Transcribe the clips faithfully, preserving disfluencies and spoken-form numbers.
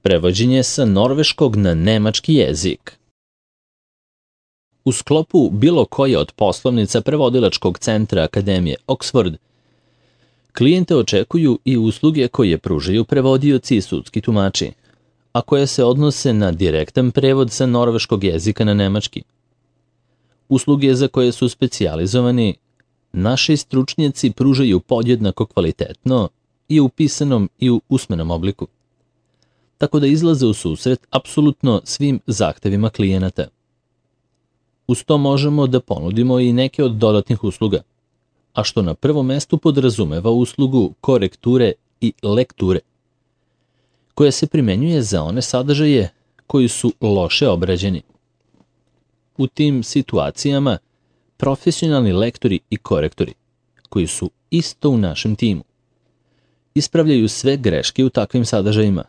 Prevođenje sa norveškog na nemački jezik. U sklopu bilo koje od poslovnica prevodilačkog centra Akademije Oxford, klijente očekuju i usluge koje pružaju prevodioci i sudski tumači, a koje se odnose na direktan prevod sa norveškog jezika na nemački. Usluge za koje su specijalizovani, naši stručnjaci pružaju podjednako kvalitetno i u pisanom i u usmenom obliku, tako da izlaze u susret apsolutno svim zahtevima klijenata. Uz to možemo da ponudimo i neke od dodatnih usluga, a što na prvom mestu podrazumeva uslugu korekture i lekture, koja se primenjuje za one sadržaje koji su loše obrađeni. U tim situacijama profesionalni lektori i korektori, koji su isto u našem timu, ispravljaju sve greške u takvim sadržajima,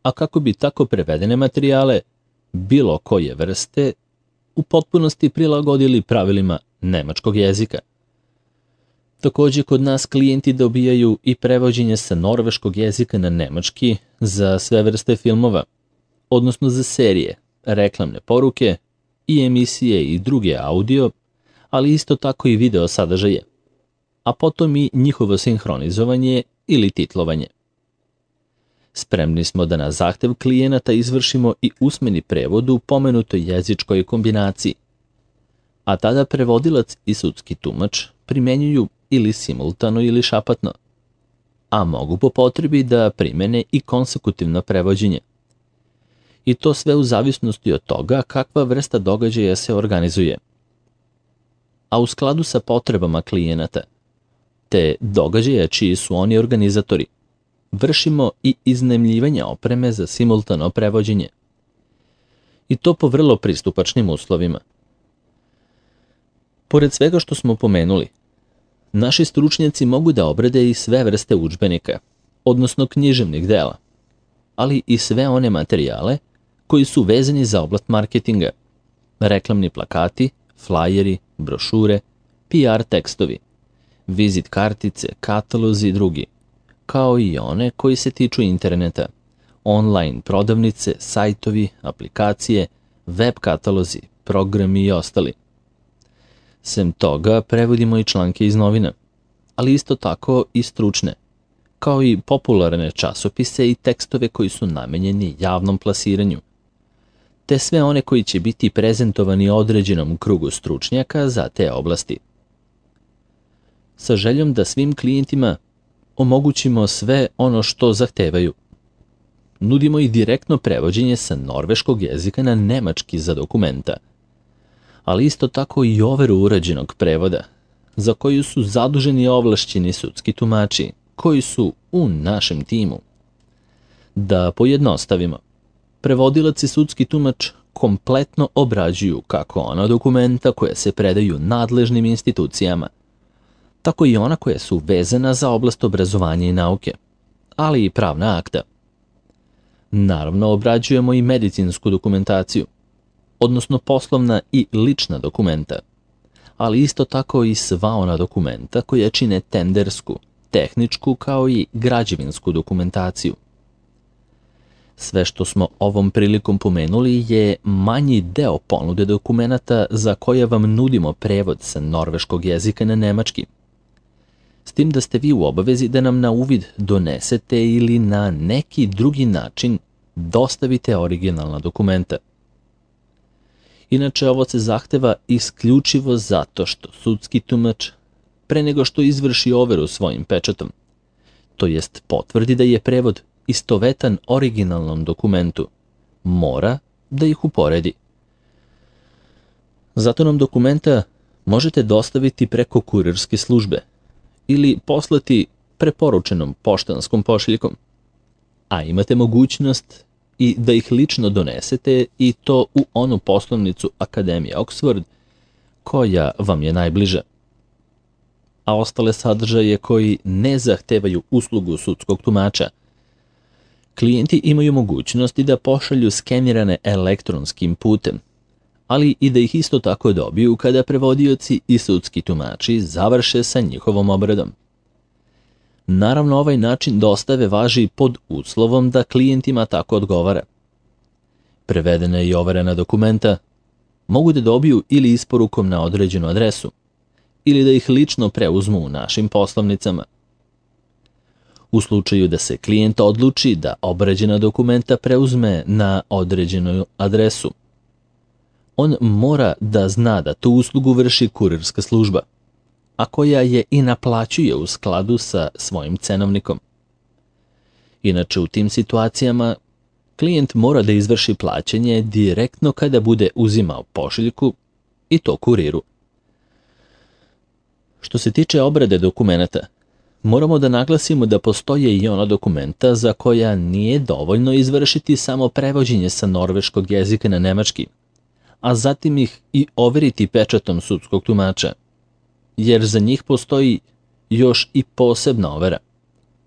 a kako bi tako prevedene materijale, bilo koje vrste, u potpunosti prilagodili pravilima nemačkog jezika. Takođe, kod nas klijenti dobijaju i prevođenje sa norveškog jezika na nemački za sve vrste filmova, odnosno za serije, reklamne poruke i emisije i druge audio, ali isto tako i video sadržaje, a potom i njihovo sinhronizovanje ili titlovanje. Spremni smo da na zahtev klijenata izvršimo i usmeni prevod u pomenutoj jezičkoj kombinaciji, a tada prevodilac i sudski tumač primenjuju ili simultano ili šapatno, a mogu po potrebi da primene i konsekutivno prevođenje. I to sve u zavisnosti od toga kakva vrsta događaja se organizuje. A u skladu sa potrebama klijenata, te događaja čiji su oni organizatori, vršimo i iznajmljivanje opreme za simultano prevođenje. I to po vrlo pristupačnim uslovima. Pored svega što smo pomenuli, naši stručnjaci mogu da obrade i sve vrste udžbenika, odnosno književnih dela, ali i sve one materijale koji su vezani za oblast marketinga, reklamni plakati, flajeri, brošure, P R tekstovi, vizit kartice, katalozi i drugi, kao i one koji se tiču interneta, online prodavnice, sajtovi, aplikacije, web katalozi, programi i ostali. Sem toga, prevodimo i članke iz novina, ali isto tako i stručne, kao i popularne časopise i tekstove koji su namenjeni javnom plasiranju, te sve one koji će biti prezentovani određenom krugu stručnjaka za te oblasti. Sa željom da svim klijentima omogućimo sve ono što zahtevaju. Nudimo i direktno prevođenje sa norveškog jezika na nemački za dokumenta, ali isto tako i overu urađenog prevoda, za koju su zaduženi ovlašćeni sudski tumači, koji su u našem timu. Da pojednostavimo, prevodilac i sudski tumač kompletno obrađuju kako ona dokumenta koja se predaju nadležnim institucijama, tako i ona koja su vezana za oblast obrazovanja i nauke, ali i pravna akta. Naravno, obrađujemo i medicinsku dokumentaciju, odnosno poslovna i lična dokumenta, ali isto tako i sva ona dokumenta koja čine tendersku, tehničku kao i građevinsku dokumentaciju. Sve što smo ovom prilikom pomenuli je manji deo ponude dokumenata za koje vam nudimo prevod sa norveškog jezika na nemački, s tim da ste vi u obavezi da nam na uvid donesete ili na neki drugi način dostavite originalna dokumenta. Inače, ovo se zahteva isključivo zato što sudski tumač, pre nego što izvrši overu svojim pečatom, to jest potvrdi da je prevod istovetan originalnom dokumentu, mora da ih uporedi. Zato nam dokumenta možete dostaviti preko kurirske službe ili poslati preporučenom poštanskom pošiljkom, a imate mogućnost i da ih lično donesete i to u onu poslovnicu Akademije Oxford koja vam je najbliža. A ostale sadržaje koji ne zahtevaju uslugu sudskog tumača, klijenti imaju mogućnosti da pošalju skenirane elektronskim putem, ali i da ih isto tako dobiju kada prevodioci i sudski tumači završe sa njihovom obradom. Naravno, ovaj način dostave važi pod uslovom da klijentima tako odgovara. Prevedena i overena dokumenta mogu da dobiju ili isporukom na određenu adresu, ili da ih lično preuzmu u našim poslovnicama. U slučaju da se klijent odluči da obrađena dokumenta preuzme na određenu adresu, on mora da zna da tu uslugu vrši kurirska služba, a koja je i naplaćuje u skladu sa svojim cenovnikom. Inače, u tim situacijama klijent mora da izvrši plaćanje direktno kada bude uzimao pošiljku i to kuriru. Što se tiče obrade dokumenata, moramo da naglasimo da postoje i ona dokumenta za koja nije dovoljno izvršiti samo prevođenje sa norveškog jezika na nemački, a zatim ih i overiti pečatom sudskog tumača, jer za njih postoji još i posebna overa,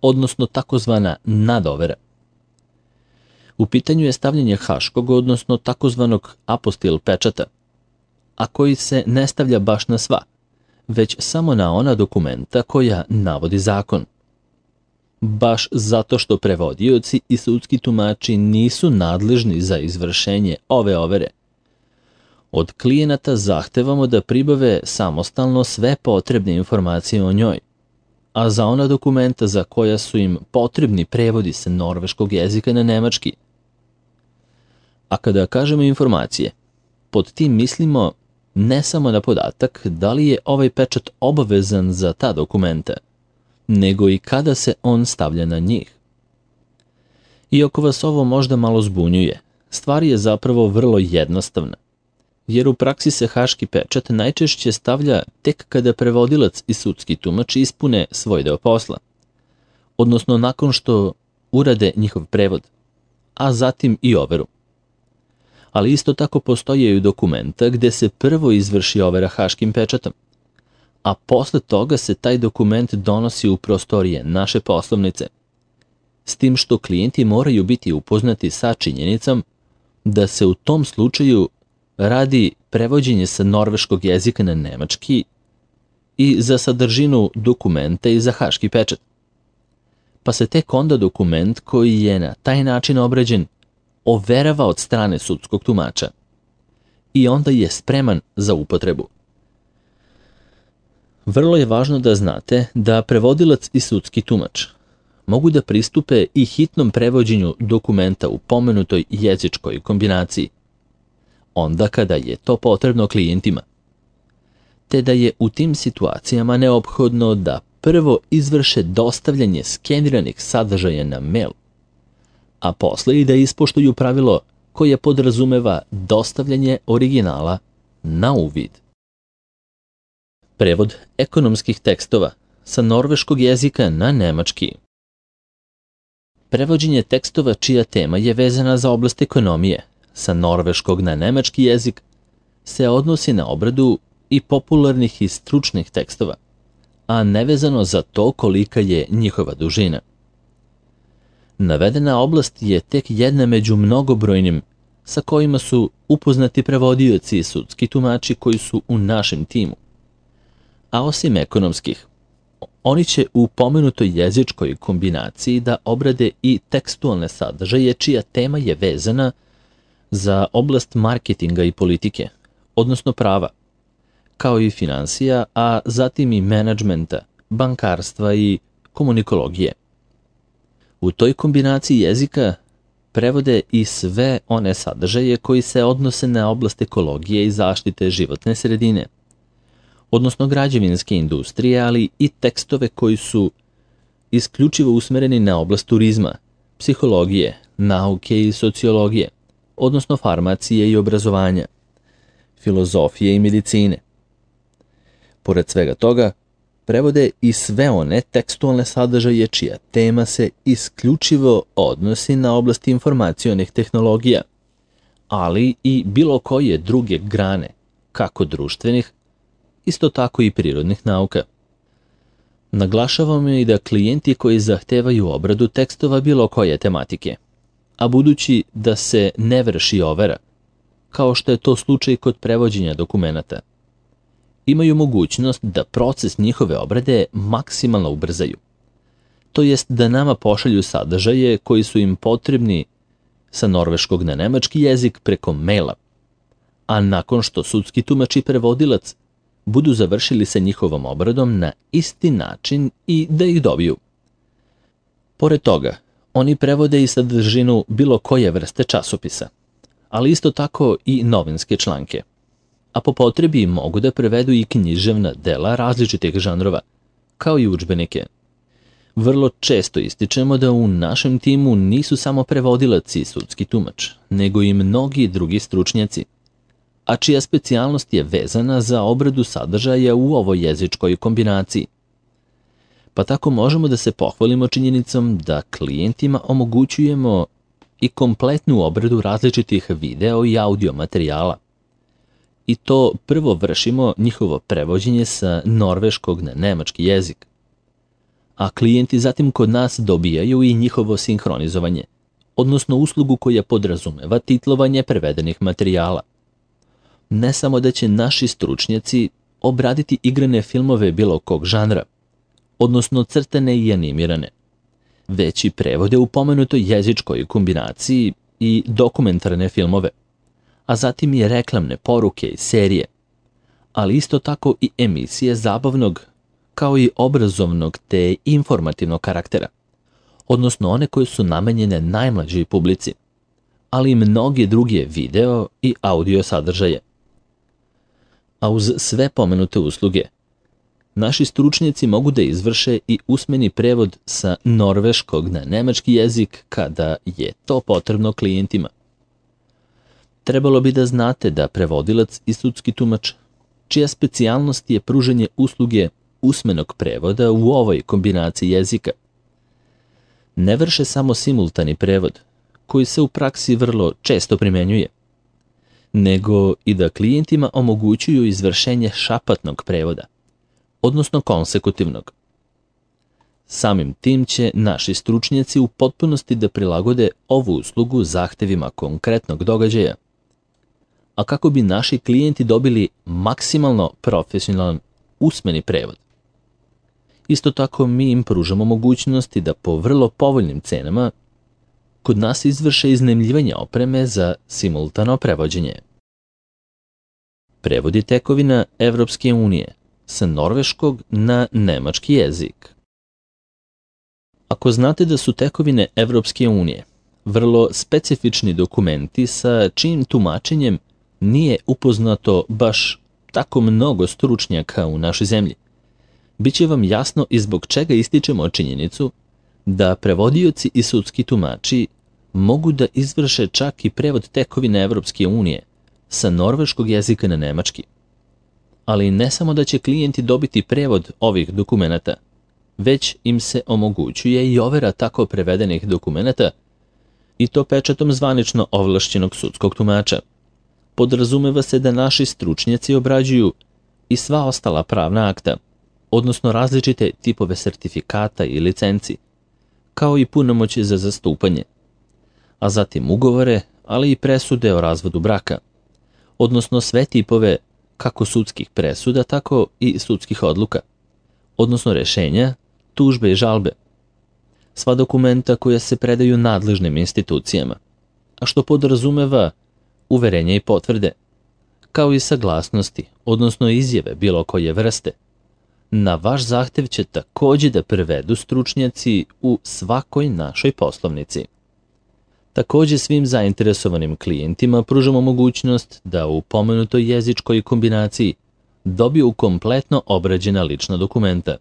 odnosno takozvana nadovera. U pitanju je stavljanje haškog, odnosno takozvanog apostil pečata, a koji se ne stavlja baš na sva, već samo na ona dokumenta koja navodi zakon. Baš zato što prevodioci i sudski tumači nisu nadležni za izvršenje ove overe. Od klijenata zahtevamo da pribave samostalno sve potrebne informacije o njoj, a za ona dokumenta za koja su im potrebni prevodi sa norveškog jezika na nemački. A kada kažemo informacije, pod tim mislimo ne samo na podatak da li je ovaj pečat obavezan za ta dokumenta, nego i kada se on stavlja na njih. Iako vas ovo možda malo zbunjuje, stvar je zapravo vrlo jednostavna, jer u praksi se haški pečat najčešće stavlja tek kada prevodilac i sudski tumač ispune svoj deo posla, odnosno nakon što urade njihov prevod, a zatim i overu. Ali isto tako postoje i dokumenta gde se prvo izvrši overa haškim pečatom, a posle toga se taj dokument donosi u prostorije naše poslovnice, s tim što klijenti moraju biti upoznati sa činjenicom da se u tom slučaju radi prevođenje sa norveškog jezika na nemački i za sadržinu dokumenta i za haški pečat. Pa se tek onda dokument koji je na taj način obrađen overava od strane sudskog tumača i onda je spreman za upotrebu. Vrlo je važno da znate da prevodilac i sudski tumač mogu da pristupe i hitnom prevođenju dokumenta u pomenutoj jezičkoj kombinaciji, onda kada je to potrebno klijentima, te da je u tim situacijama neophodno da prvo izvrše dostavljanje skeniranih sadržaja na mail, a posle i da ispoštuju pravilo koje podrazumeva dostavljanje originala na uvid. Prevod ekonomskih tekstova sa norveškog jezika na nemački. Prevođenje tekstova čija tema je vezana za oblast ekonomije sa norveškog na nemački jezik se odnosi na obradu i popularnih i stručnih tekstova, a nevezano za to kolika je njihova dužina. Navedena oblast je tek jedna među mnogobrojnim sa kojima su upoznati prevodioci i sudski tumači koji su u našem timu. A osim ekonomskih, oni će u pomenutoj jezičkoj kombinaciji da obrade i tekstualne sadržaje čija tema je vezana za oblast marketinga i politike, odnosno prava, kao i finansija, a zatim i menadžmenta, bankarstva i komunikologije. U toj kombinaciji jezika prevode i sve one sadržaje koji se odnose na oblast ekologije i zaštite životne sredine, odnosno građevinske industrije, ali i tekstove koji su isključivo usmereni na oblast turizma, psihologije, nauke i sociologije, odnosno farmacije i obrazovanja, filozofije i medicine. Pored svega toga, prevode i sve one tekstualne sadržaje čija tema se isključivo odnosi na oblast informacionih tehnologija, ali i bilo koje druge grane, kako društvenih, isto tako i prirodnih nauka. Naglašavamo i da klijenti koji zahtevaju obradu tekstova bilo koje tematike, a budući da se ne vrši overa, kao što je to slučaj kod prevođenja dokumenata, imaju mogućnost da proces njihove obrade maksimalno ubrzaju, to jest da nama pošalju sadržaje koji su im potrebni sa norveškog na nemački jezik preko maila, a nakon što sudski tumač i prevodilac budu završili sa njihovom obradom na isti način i da ih dobiju. Pored toga, oni prevode i sadržinu bilo koje vrste časopisa, ali isto tako i novinske članke, a po potrebi mogu da prevedu i književna dela različitih žanrova, kao i udžbenike. Vrlo često ističemo da u našem timu nisu samo prevodilac i sudski tumač, nego i mnogi drugi stručnjaci, a čija specijalnost je vezana za obradu sadržaja u ovoj jezičkoj kombinaciji. Pa tako možemo da se pohvalimo činjenicom da klijentima omogućujemo i kompletnu obradu različitih video i audio materijala. I to prvo vršimo njihovo prevođenje sa norveškog na nemački jezik, a klijenti zatim kod nas dobijaju i njihovo sinhronizovanje, odnosno uslugu koja podrazumeva titlovanje prevedenih materijala. Ne samo da će naši stručnjaci obraditi igrane filmove bilo kog žanra, odnosno crtane i animirane, već i prevode u pomenutoj jezičkoj kombinaciji i dokumentarne filmove, a zatim i reklamne poruke i serije, ali isto tako i emisije zabavnog, kao i obrazovnog te informativnog karaktera, odnosno one koje su namenjene najmlađoj publici, ali i mnoge druge video i audio sadržaje. A uz sve pomenute usluge, naši stručnjaci mogu da izvrše i usmeni prevod sa norveškog na nemački jezik kada je to potrebno klijentima. Trebalo bi da znate da prevodilac i sudski tumač, čija specijalnost je pružanje usluge usmenog prevoda u ovoj kombinaciji jezika, ne vrše samo simultani prevod, koji se u praksi vrlo često primenjuje, nego i da klijentima omogućuju izvršenje šapatnog prevoda, odnosno konsekutivnog. Samim tim će naši stručnjaci u potpunosti da prilagode ovu uslugu zahtevima konkretnog događaja, a kako bi naši klijenti dobili maksimalno profesionalan usmeni prevod. Isto tako mi im pružamo mogućnosti da po vrlo povoljnim cenama kod nas izvrše iznajmljivanje opreme za simultano prevođenje. Prevodi tekovina Evropske unije sa norveškog na nemački jezik. Ako znate da su tekovine Evropske unije vrlo specifični dokumenti sa čijim tumačenjem nije upoznato baš tako mnogo stručnjaka u našoj zemlji, biće vam jasno i zbog čega ističemo činjenicu da prevodioci i sudski tumači mogu da izvrše čak i prevod tekovine Evropske unije sa norveškog jezika na nemački. Ali ne samo da će klijenti dobiti prevod ovih dokumenata, već im se omogućuje i overa tako prevedenih dokumenata, i to pečatom zvanično ovlašćenog sudskog tumača. Podrazumeva se da naši stručnjaci obrađuju i sva ostala pravna akta, odnosno različite tipove sertifikata i licenci, kao i punomoći za zastupanje, a zatim ugovore, ali i presude o razvodu braka, odnosno sve tipove kako sudskih presuda, tako i sudskih odluka, odnosno rešenja, tužbe i žalbe. Sva dokumenta koja se predaju nadležnim institucijama, a što podrazumeva uverenja i potvrde, kao i saglasnosti, odnosno izjave bilo koje vrste. Na vaš zahtev će takođe da prevedu stručnjaci u svakoj našoj poslovnici. Takođe svim zainteresovanim klijentima pružamo mogućnost da u pomenutoj jezičkoj kombinaciji dobiju kompletno obrađena lična dokumenta,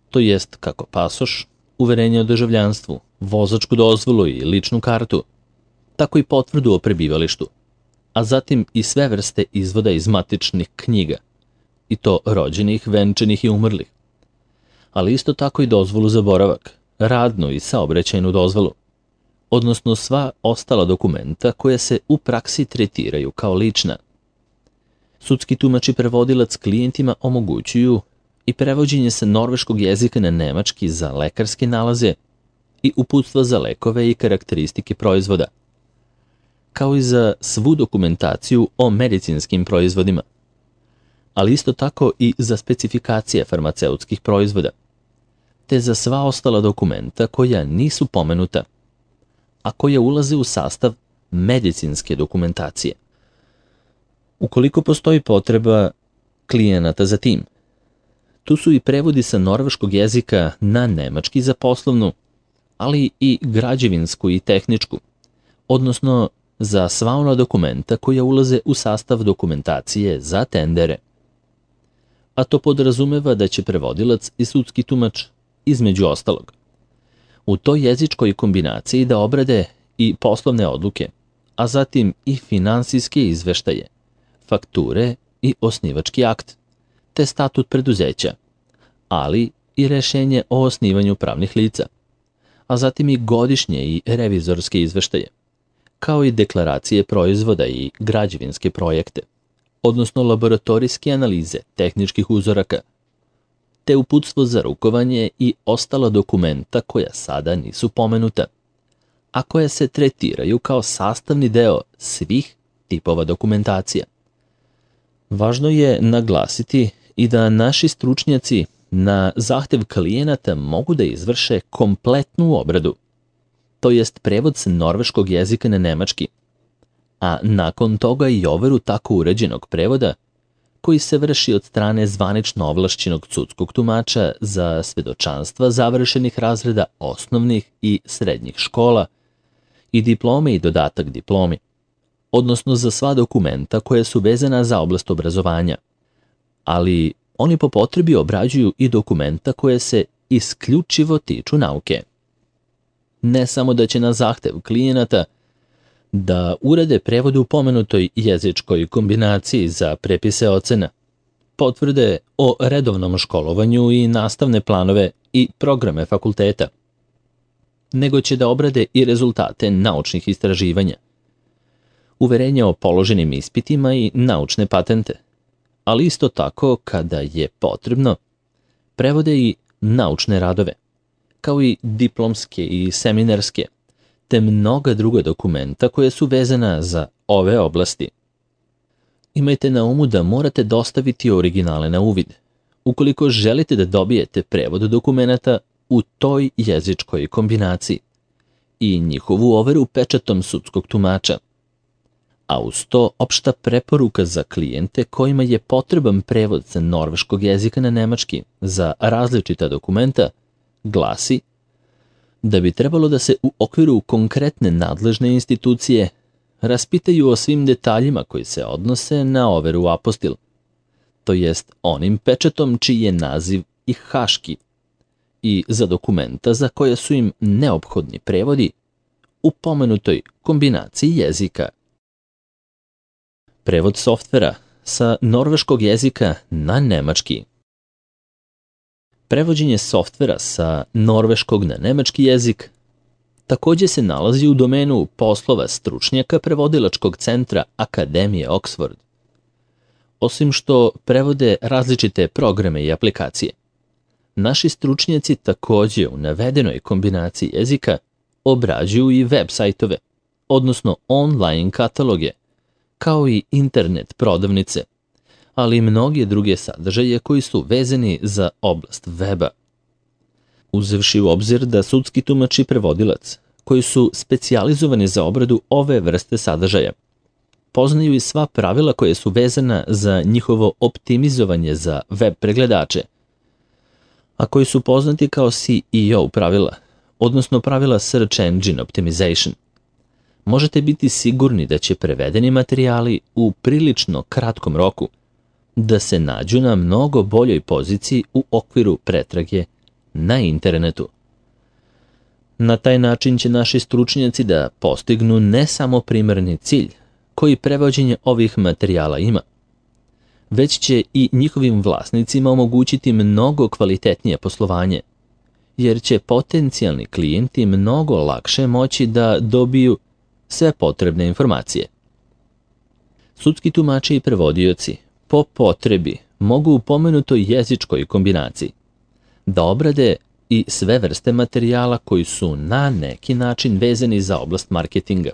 to jest kako pasoš, uverenje o državljanstvu, vozačku dozvolu i ličnu kartu, tako i potvrdu o prebivalištu, a zatim i sve vrste izvoda iz matičnih knjiga, i to rođenih, venčanih i umrlih, ali isto tako i dozvolu za boravak, radnu i saobraćajnu dozvolu, odnosno sva ostala dokumenta koja se u praksi tretiraju kao lična. Sudski tumač i prevodilac klijentima omogućuju i prevođenje sa norveškog jezika na nemački za lekarske nalaze i uputstva za lekove i karakteristike proizvoda, kao i za svu dokumentaciju o medicinskim proizvodima, ali isto tako i za specifikacije farmaceutskih proizvoda. te za sva ostala dokumenta koja nisu pomenuta, a koja ulaze u sastav medicinske dokumentacije. Ukoliko postoji potreba klijenata za tim, tu su i prevodi sa norveškog jezika na nemački za poslovnu, ali i građevinsku i tehničku, odnosno za sva ona dokumenta koja ulaze u sastav dokumentacije za tendere. A to podrazumeva da će prevodilac i sudski tumač, između ostalog, u toj jezičkoj kombinaciji da obrade i poslovne odluke, a zatim i finansijske izveštaje, fakture i osnivački akt, te statut preduzeća, ali i rešenje o osnivanju pravnih lica, a zatim i godišnje i revizorske izveštaje, kao i deklaracije proizvoda i građevinske projekte, odnosno laboratorijske analize tehničkih uzoraka, te uputstvo za rukovanje i ostala dokumenta koja sada nisu pomenuta, a koja se tretiraju kao sastavni deo svih tipova dokumentacija. Važno je naglasiti i da naši stručnjaci na zahtev klijenata mogu da izvrše kompletnu obradu, to jest prevod sa norveškog jezika na nemački, a nakon toga i overu tako uređenog prevoda koji se vrši od strane zvanično ovlašćenog sudskog tumača za svedočanstva završenih razreda osnovnih i srednjih škola i diplome i dodatak diplomi, odnosno za sva dokumenta koja su vezana za oblast obrazovanja, ali oni po potrebi obrađuju i dokumenta koje se isključivo tiču nauke. Ne samo da će na zahtev klijenata da urade prevode u pomenutoj jezičkoj kombinaciji za prepise ocena, potvrde o redovnom školovanju i nastavne planove i programe fakulteta, nego će da obrade i rezultate naučnih istraživanja, uverenja o položenim ispitima i naučne patente, ali isto tako, kada je potrebno, prevode i naučne radove, kao i diplomske i seminarske, te mnoga druga dokumenta koje su vezana za ove oblasti. Imajte na umu da morate dostaviti originale na uvid, ukoliko želite da dobijete prevod dokumenta u toj jezičkoj kombinaciji i njihovu overu pečatom sudskog tumača. A uz to opšta preporuka za klijente kojima je potreban prevod sa norveškog jezika na nemački za različita dokumenta glasi da bi trebalo da se u okviru konkretne nadležne institucije raspitaju o svim detaljima koji se odnose na overu apostil, to jest onim pečatom čiji je naziv i haški, i za dokumenta za koje su im neophodni prevodi u pomenutoj kombinaciji jezika. Prevod softvera sa norveškog jezika na nemački. Prevođenje softvera sa norveškog na nemački jezik takođe se nalazi u domenu poslova stručnjaka prevodilačkog centra Akademije Oxford. Osim što prevode različite programe i aplikacije, naši stručnjaci takođe u navedenoj kombinaciji jezika obrađuju i web sajtove, odnosno online kataloge, kao i internet prodavnice, ali i mnoge druge sadržaje koji su vezani za oblast weba. Uzevši u obzir da sudski tumač i prevodilac, koji su specijalizovani za obradu ove vrste sadržaja, poznaju i sva pravila koje su vezana za njihovo optimizovanje za web pregledače, a koji su poznati kao C E O pravila, odnosno pravila Search Engine Optimization. Možete biti sigurni da će prevedeni materijali u prilično kratkom roku da se nađu na mnogo boljoj poziciji u okviru pretrage na internetu. Na taj način će naši stručnjaci da postignu ne samo primarni cilj koji prevođenje ovih materijala ima, već će i njihovim vlasnicima omogućiti mnogo kvalitetnije poslovanje, jer će potencijalni klijenti mnogo lakše moći da dobiju sve potrebne informacije. Sudski tumači i prevodioci po potrebi mogu u pomenutoj jezičkoj kombinaciji da obrade i sve vrste materijala koji su na neki način vezani za oblast marketinga.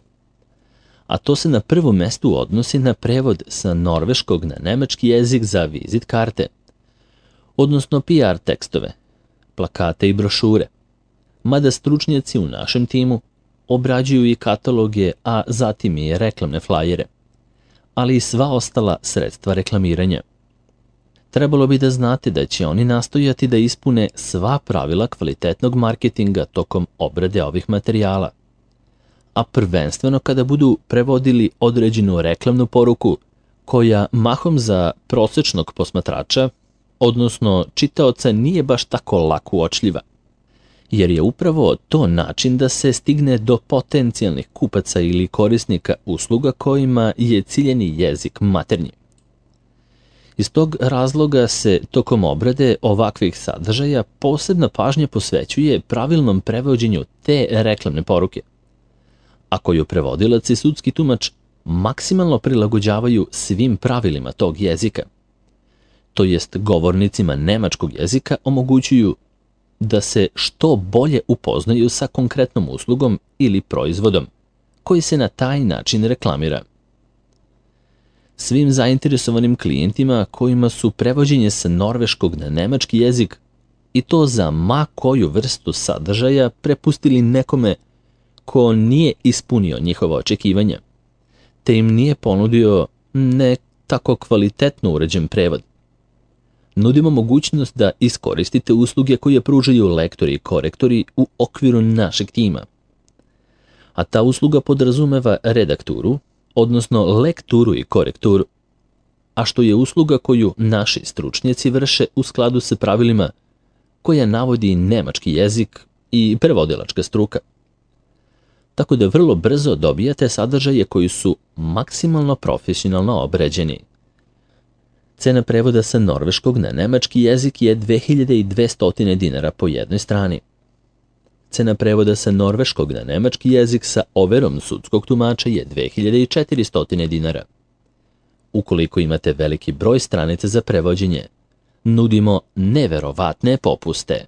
A to se na prvom mestu odnosi na prevod sa norveškog na nemački jezik za vizit karte, odnosno P R tekstove, plakate i brošure, mada stručnjaci u našem timu obrađuju i kataloge, a zatim i reklamne flajere, ali i sva ostala sredstva reklamiranja. Trebalo bi da znate da će oni nastojati da ispune sva pravila kvalitetnog marketinga tokom obrade ovih materijala, a prvenstveno kada budu prevodili određenu reklamnu poruku koja mahom za prosečnog posmatrača, odnosno čitaoca, nije baš tako lako uočljiva, jer je upravo to način da se stigne do potencijalnih kupaca ili korisnika usluga kojima je ciljeni jezik maternji. Iz tog razloga se tokom obrade ovakvih sadržaja posebna pažnja posvećuje pravilnom prevođenju te reklamne poruke, a koju prevodilac i sudski tumač maksimalno prilagođavaju svim pravilima tog jezika, to jest govornicima nemačkog jezika omogućuju da se što bolje upoznaju sa konkretnom uslugom ili proizvodom koji se na taj način reklamira. Svim zainteresovanim klijentima kojima su prevođenje sa norveškog na nemački jezik i to za ma koju vrstu sadržaja prepustili nekome ko nije ispunio njihova očekivanja, te im nije ponudio ne tako kvalitetno uređen prevod, nudimo mogućnost da iskoristite usluge koje pružaju lektori i korektori u okviru našeg tima. A ta usluga podrazumeva redakturu, odnosno lekturu i korekturu, a što je usluga koju naši stručnjaci vrše u skladu sa pravilima koja navodi nemački jezik i prevodilačka struka. Tako da vrlo brzo dobijate sadržaje koji su maksimalno profesionalno obređeni. Cena prevoda sa norveškog na nemački jezik je dve hiljade dvesta dinara po jednoj strani. Cena prevoda sa norveškog na nemački jezik sa overom sudskog tumača je dve hiljade četiristo dinara. Ukoliko imate veliki broj stranica za prevođenje, nudimo neverovatne popuste.